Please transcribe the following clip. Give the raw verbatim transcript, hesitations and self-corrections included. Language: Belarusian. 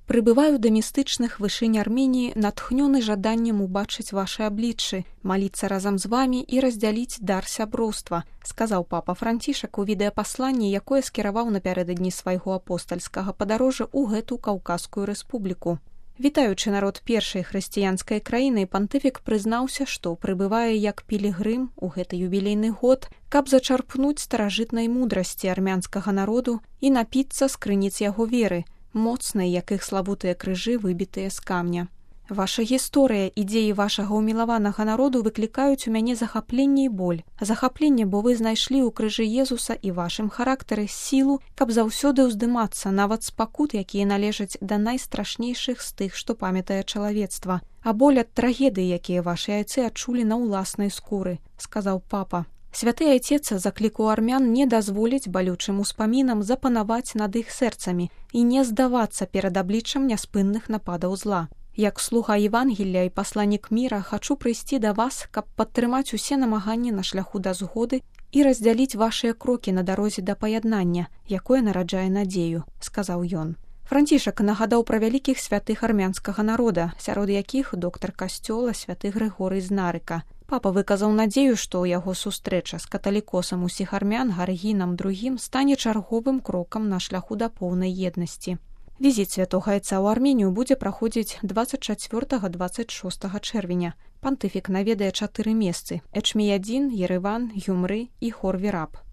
Прыбываю да містычных вышынь Арменіі, натхнёны жаданнем убачыць вашы абліччы, маліцца разам з вамі і раздзяліць дар сяброўства, сказаў папа Францішак у відэапасланні, якое скіраваў напярэдадні свайго апостальскага падарожжа ў гэту Каўказскую рэспубліку. Вітаючы народ першай хрысціянскай краіны, пантыфік прызнаўся, што прыбывае як пілігрым у гэты юбілейны год, каб зачарпнуць старажытнай мудрасці армянскага народу і напіцца з крыніц яго веры, моцнай, як іх славутыя крыжы, выбітыя з камня. Ваша гісторыя, ідзеі вашага ўмілаванага народу выклікаюць у мяне захапленне і боль. Захапленне, бо вы знайшлі ў крыжы Езуса і вашым характары сілу, каб заўсёды ўздымацца нават з пакут, якія належаць да найстрашнейшых з тых, што памятае чалавецтва, а боль ад трагедыі, якія вашы айцы адчулі на ўласнай скуры, сказаў папа. Святы айцец заклікаў армян не дазволіць балючым успамінам запанаваць над іх сэрцамі і не здавацца перад абліччам няспынных нападаў зла. Як слуга Евангелля і пасланнік міра хачу прыйсці да вас, каб падтрымаць усе намаганні на шляху да згоды і раздзяліць вашыя крокі на дарозе да паяднання, якое нараджае надзею, сказаў ён. Францішак нагадаў пра вялікіх святых армянскага народа, сярод якіх доктар касцёла святы Грыгорый з Нарыка. Папа выказаў надзею, што яго сустрэча з каталікосам усіх армян Гаргінам другім стане чарговым крокам на шляху да поўнай еднасці. Візіт святога айца ў Арменію будзе праходзіць дваццаць чацвёртага - дваццаць шостага чэрвеня. Пантыфік наведае чатыры месцы: Эчміядзін, Ерэван, Гюмры і Хорвіраб.